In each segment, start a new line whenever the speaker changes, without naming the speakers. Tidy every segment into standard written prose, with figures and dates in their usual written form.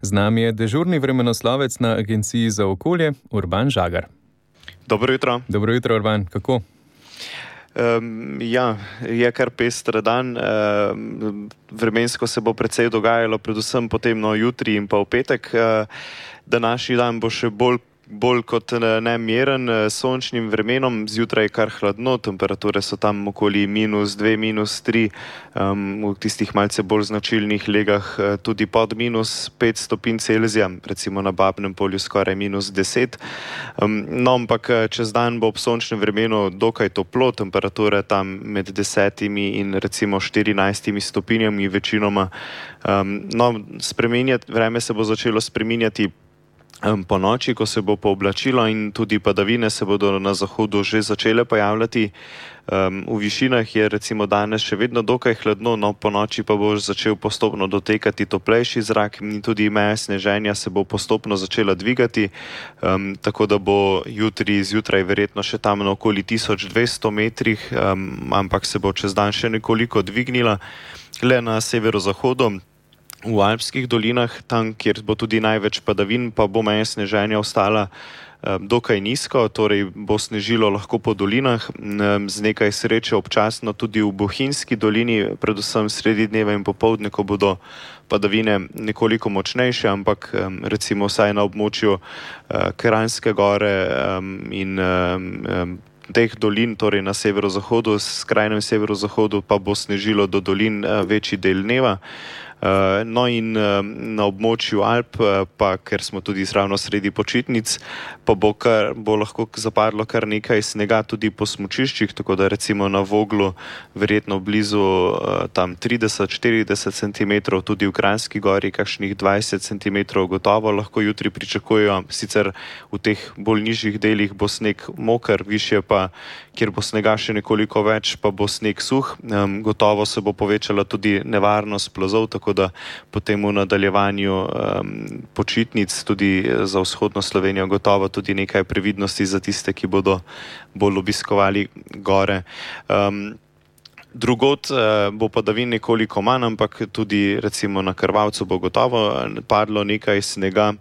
Z nami je dežurni vremenoslovec na Agenciji za okolje, Urban Žagar.
Dobro jutro.
Dobro jutro, Urban. Kako?
Je kar pester dan. Vremensko se bo precej dogajalo, predvsem potem jutri in pa v petek. Današnji dan bo še bolj kot nemeren, sončnim vremenom, zjutraj kar hladno, temperature so tam okoli -2, -3, v tistih malce bolj značilnih legah tudi pod -5 stopinj Celzija, recimo na Babnem polju skoraj -10. Ampak čez dan bo ob sončnem vremenu dokaj toplo, temperature tam med 10 in recimo 14 stopinjami večinoma. Vreme se bo začelo spreminjati po noči, ko se bo pooblačilo in tudi padavine se bodo na zahodu že začele pojavljati. V višinah je recimo danes še vedno dokaj hladno, po noči pa bo začel postopno dotekati toplejši zrak in tudi meja sneženja se bo postopno začela dvigati, tako da bo jutri zjutraj verjetno še tam na okoli 1200 metrih, ampak se bo čez dan še nekoliko dvignila. Le na severozahodu, v alpskih dolinah, tam, kjer bo tudi največ padavin, pa bo meja sneženja ostala dokaj nizko, torej bo snežilo lahko po dolinah, z nekaj sreče občasno tudi v Bohinjski dolini, predvsem sredi dneva in popoldne, ko bodo padavine nekoliko močnejše, ampak recimo vsaj na območju Kranjske gore in teh dolin, torej na severozahodu, skrajnem severozahodu pa bo snežilo do dolin večji del dneva. In na območju Alp, pa ker smo tudi ravno sredi počitnic, pa bo lahko zapadlo kar nekaj snega tudi po smučiščih, tako da recimo na Voglu verjetno blizu tam 30-40 cm, tudi v Kranjski gori kakšnih 20 cm gotovo lahko jutri pričakujejo. Sicer v teh bolj nižjih delih bo sneg moker, višje pa, kjer bo snega še nekoliko več, pa bo sneg suh. Gotovo se bo povečala tudi nevarnost plazov, tako da potem v nadaljevanju počitnic tudi za vzhodno Slovenijo gotovo tudi nekaj previdnosti za tiste, ki bodo bolj obiskovali gore. Drugod bo padavin nekoliko manj, ampak tudi recimo na Krvavcu bo gotovo padlo nekaj snega.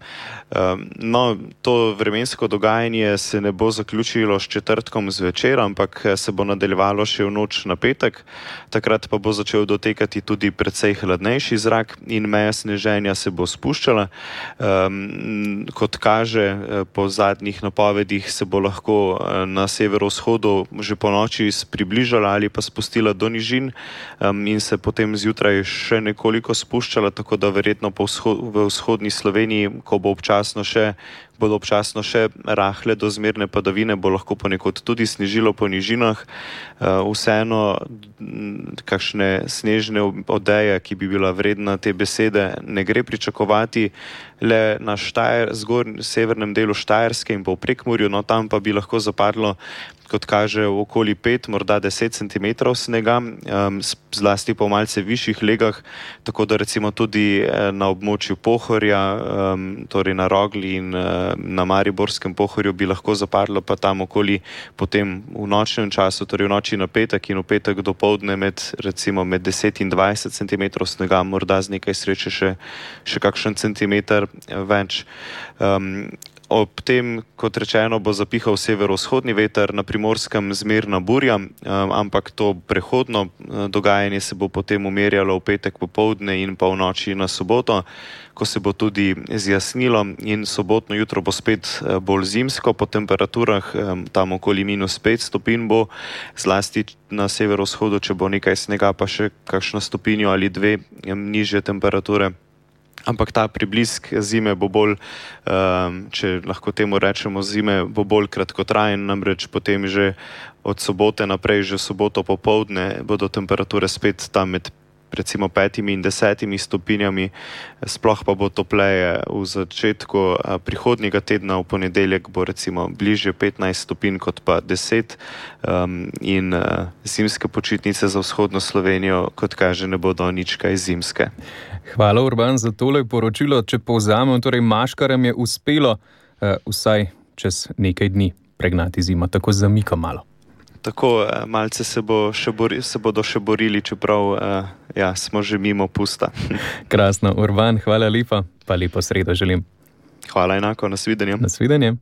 To vremensko dogajanje se ne bo zaključilo s četrtkom zvečer, ampak se bo nadaljevalo še v noč na petek. Takrat pa bo začel dotekati tudi precej hladnejši zrak in meja sneženja se bo spuščala. Kot kaže, po zadnjih napovedih se bo lahko na severovzhodu že po noči približala ali pa spustila do nižin in se potem zjutraj še nekoliko spuščala, tako da verjetno v vzhodni Sloveniji, ko bodo občasno še rahle do zmerne padavine, bo lahko ponekod tudi snežilo po nižinah. Vseeno kakšne snežne odeje, ki bi bila vredna te besede, ne gre pričakovati. Le na severnem delu Štajerske in pa v Prekmurju, tam pa bi lahko zapadlo, kot kaže, okoli 5, morda 10 cm snega, zlasti po malce višjih legah, tako da recimo tudi na območju Pohorja, torej na Rogli in na Mariborskem Pohorju bi lahko zapadlo pa tam okoli potem v nočnem času, torej v noči na petek in v petek dopoldne med 10 in 20 cm snega, morda z nekaj sreče še kakšen centimeter več. Ob tem, kot rečeno, bo zapihal severovzhodni veter, na Primorskem zmerna burja, ampak to prehodno dogajanje se bo potem umirjalo v petek popoldne in pa v noči na soboto, ko se bo tudi zjasnilo in sobotno jutro bo spet bolj zimsko po temperaturah, tam okoli -5 stopinj bo, zlasti na severovzhodu, če bo nekaj snega, pa še kakšno stopinjo ali dve nižje temperature. Ampak ta priblisk zime bo bolj, če lahko temu rečemo zime, bo bolj kratkotrajen, namreč potem že od sobote naprej, že soboto popoldne bodo temperature spet tam med recimo 5 in 10 stopinjami, sploh pa bo topleje v začetku prihodnjega tedna, v ponedeljek bo recimo bližje 15 stopinj kot pa 10 in zimske počitnice za vzhodno Slovenijo, kot kaže, ne bodo nič kaj zimske.
Hvala, Urban, za tole poročilo. Če povzamem, torej maškarjem je uspelo vsaj čez nekaj dni pregnati zimo, tako zamika malo.
tako malce se bodo še borili, čeprav smo že mimo pusta.
Krasno, Urban, hvala lepa, pa lepo sredo želim.
Hvala enako, nasvidenje.
Nasvidenje.